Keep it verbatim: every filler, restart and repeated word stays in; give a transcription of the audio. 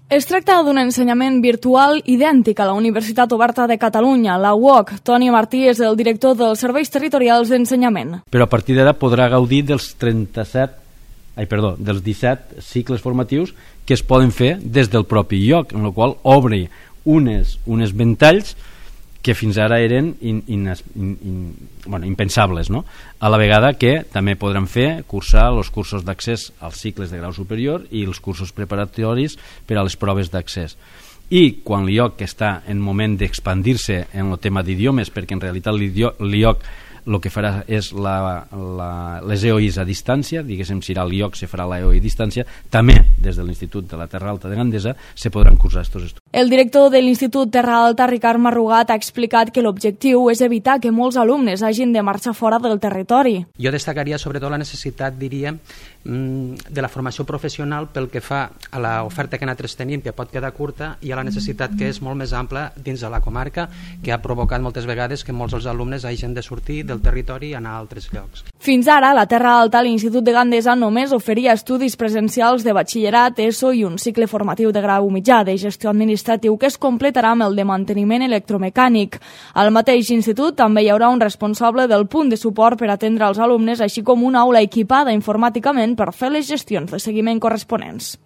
Es tracta d'un ensenyament virtual idèntic a la Universitat Oberta de Catalunya, la U O C. Toni Martí és el director dels Serveis Territorials d'Ensenyament. Però a partir d'ara podrà gaudir dels trenta-set, ai, perdó, dels disset cicles formatius que es poden fer des del propi lloc, en el qual obre unes, unes ventalls que fins ara eren in, in, in, in, bueno, impensables, no? A la vegada que també podran fer cursar els cursos d'accés als cicles de grau superior i els cursos preparatoris per a les proves d'accés. I quan l'I O C està en moment d'expandir-se en el tema d'idiomes, perquè en realitat l'I O C el que farà és la, la, les E O Is a distància, diguéssim, si l'I O C se farà la E O I a distància, també des de l'Institut de la Terra Alta de Gandesa se podran cursar aquests estudis. El director de l'Institut Terra Alta, Ricard Marrugat, ha explicat que l'objectiu és evitar que molts alumnes hagin de marxar fora del territori. Jo destacaria sobretot la necessitat, diríem, de la formació professional pel que fa a l'oferta que nosaltres tenim, que pot quedar curta, i a la necessitat que és molt més ampla dins de la comarca, que ha provocat moltes vegades que molts dels alumnes hagin de sortir del territori i anar a altres llocs. Fins ara, a la Terra Alta, l'Institut de Gandesa només oferia estudis presencials de batxillerat, ESO i un cicle formatiu de grau mitjà de gestió administratiu que es completarà amb el de manteniment electromecànic. Al mateix institut també hi haurà un responsable del punt de suport per atendre els alumnes, així com una aula equipada informàticament per fer les gestions de seguiment corresponents.